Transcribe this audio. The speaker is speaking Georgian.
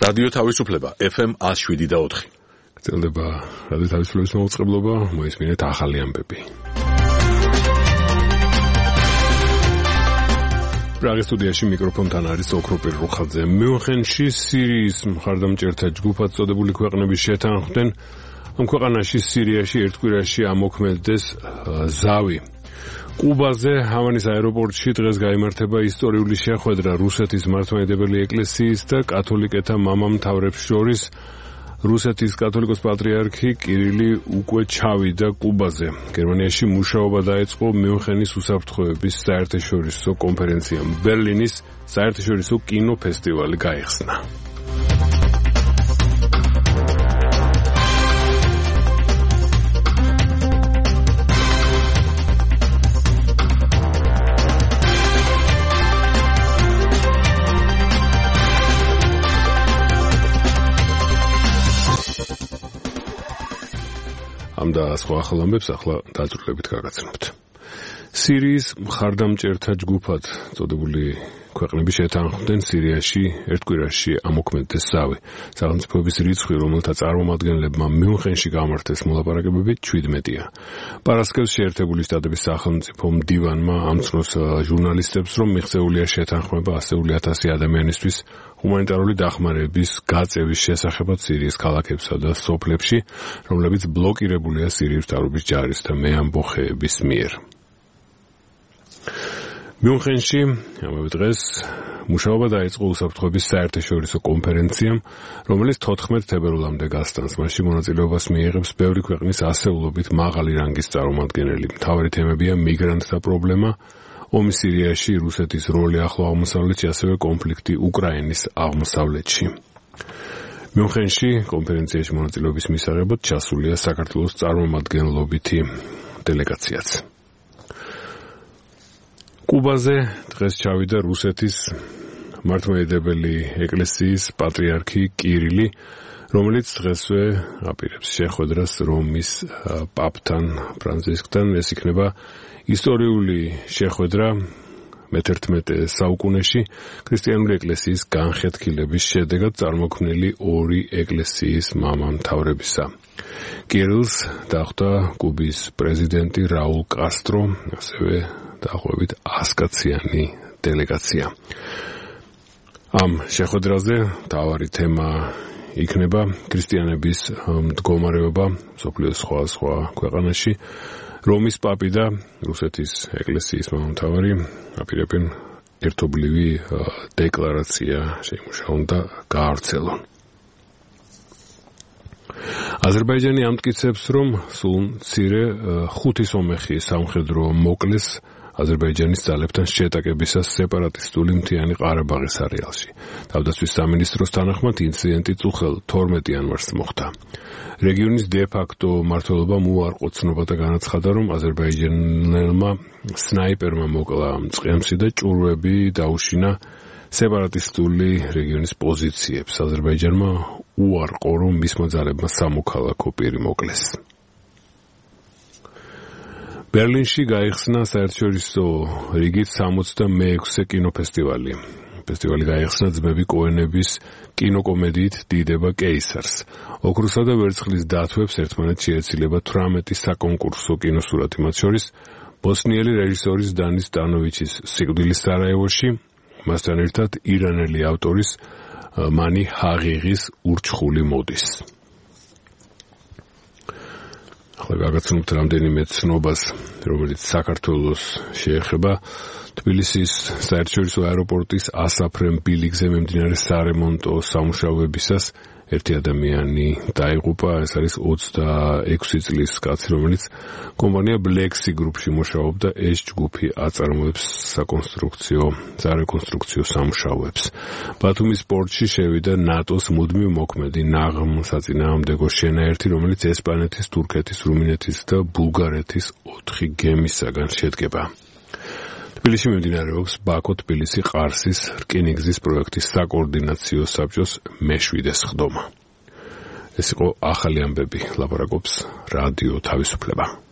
რადიო თავისუფლება FM 107.4. გრძელდება რადიო თავისუფლების მოუწყებლობა, მოისმინეთ ახალი ამბები. პრაღის სტუდიაში მიკროფონთან არის ოქროპირ რუხაძე. მიუნხენში სირიის მხარდამჭერთა ჯგუფად წოდებული ქვეყნები შეთანხმდნენ ამ ქვეყანაში სირიაში ერთ კვირაში ამოქმედდეს ზავი. კუბაზე ჰავანის აეროპორტში დღეს გაიმართება ისტორიული შეხვედრა რუსეთის მართლმადიდებელი ეკლესიის და კათოლიკეთა მამამთავრებს შორის. რუსეთის კათოლიკოს პატრიარქი კირილი უკვე ჩავიდა კუბაზე. გერმანიაში მუშაობა დაიწყო მიუნხენის უსაფრთხოების საერთაშორისო კონფერენციამ. ბერლინის საერთაშორისო კინოფესტივალი გაიხსნა. და სხვა ახალ ამბებს ახლა დაწვრილებით გაგაცნობთ. სირიის მხარდამჭერთა ჯგუფად წოდებული ქვეყნები შეთანხმდნენ სირიაში ერთ კვირაში ამოქმედდეს ზავი. სახელმწიფოების რიცხვი, რომელთა წარმომადგენლებმა მიუნხენში გამართეს მოლაპარაკებები 17-ია. პარასკევს შეერთებული შტატების სახელმწიფო მდივანმა ამცნოს ჟურნალისტებს, რომ მიღწეულია შეთანხმება ასეული 1000 ადამიანისთვის ჰუმანიტარული დახმარების გაწევის შესახებად სირიის ქალაქებსა და სოფლებში, რომლებიც ბლოკირებულია სირიის მთავრობის ჯარის და მეამბოხეების მიერ. მიუნხენში ამავე დღეს მუშაობა დაიწყო უსაფრთხოების საერთაშორისო კონფერენციამ, რომელიც 14 თებერვლამდე გასტანს. მასში მონაწილეობას მიიღებს ბევრი ქვეყნის ასეულობით მაღალი რანგის წარმომადგენელი. მთავარი თემებია მიგრანტთა პრობლემა, ომი სირიაში, რუსეთის როლი ახლო აღმოსავლეთში, ასევე კონფლიქტი უკრაინის აღმოსავლეთში. მიუნხენში კონფერენციაში მონაწილეობის მისაღებად ჩასულია საქართველოს წარმომადგენლობითი დელეგაციაც. კუბაზე დღეს ჩავიდა რუსეთის მართლმადიდებელი ეკლესიის პატრიარქი კირილი, რომელიც დღესვე აპირებს შეხვედრას რომის პაპთან ფრანცისკთან. ეს იქნება ისტორიული შეხვედრა მე-11 საუკუნეში ქრისტიანული ეკლესიის განხეთქილების შედეგად წარმოქმნილი ორი ეკლესიის მამამთავრებისა. კირილს დახვდა კუბის პრეზიდენტი რაულ კასტრო, ასევე დაახლოებით 100 კაციანი დელეგაცია. ამ შეხვედრაზე მთავარი თემა იქნება ქრისტიანების მდგომარეობა მსოფლიოს სხვა ქვეყანაში. რომის პაპი და რუსეთის ეკლესიის მამამთავარი აპირებენ ერთობლივი დეკლარაცია შეიმუშაონ და გაავრცელონ. აზერბაიჯანი ამტკიცებს, რომ სულ მცირე 5 სომეხი სამხედრო მოკლეს აზერბაიჯანის ძალებთან შეტაკებისას სეპარატისტული მთიანი ყარაბაღის არეალში. თავდაცვის სამინისტროს თანახმად ინციდენტი წუხელ 12 იანვარს მოხდა. რეგიონის დე-ფაქტო მმართველობამ უარყო ცნობა და განაცხადა, რომ აზერბაიჯანელმა სნაიპერმა მოკლა მწყემსი და ჭურვები დაუშინა სეპარატისტული რეგიონის პოზიციებს. აზერბაიჯანმა უარყო, რომ მისმა ძალებმა სამოქალაქო პირი მოკლეს. ბერლინში გაიხსნა საერთაშორისო რიგით 66 კინოფესტივალი. ფესტივალი გაიხსნა ძმები კოენების კინოკომედიით დიდება კეისარს. ოქროსა და ვერცხლის დათვებს ერთმანეთს შეეცილება 18 საკონკურსო კინოსურათი, მათ შორის ბოსნიელი რეჟისორის დანის სტანოვიჩის სიკვდილის სარაევოში, მასთან ერთად ირანელი ავტორის მანი ჰაღიღის ურჩხული მოდის. ახლა გაგაცნობთ რამდენიმე ცნობას, რომელიც საქართველოს შეეხება. თბილისის საერთაშორისო აეროპორტის ასაფრენ ბილიკზე მიმდინარე სარემონტო სამუშაოებისას ერთი ადამიანი დაიღუპა. ეს არის 26 წლის კაცი, რომელიც კომპანია Black Sea Group-ში მუშაობდა. ეს ჯგუფი აწარმოებს სარეკონსტრუქციო სამუშაოებს. ბათუმის პორტში შევიდა ნატოს მუდმივ მოქმედი ნაღმსაწინააღმდეგო შენაერთი, რომელიც ესპანეთის, თურქეთის, რუმინეთის და ბულგარეთის 4 გემისაგან შედგება. თბილისში მიმდინარეობს ბაქო-თბილისი-ყარსის რკინიგზის პროექტის საკოორდინაციო საბჭოს მე-7 სხდომა. ეს იყო ახალი ამბები, ლაპარაკობს რადიო თავისუფლება.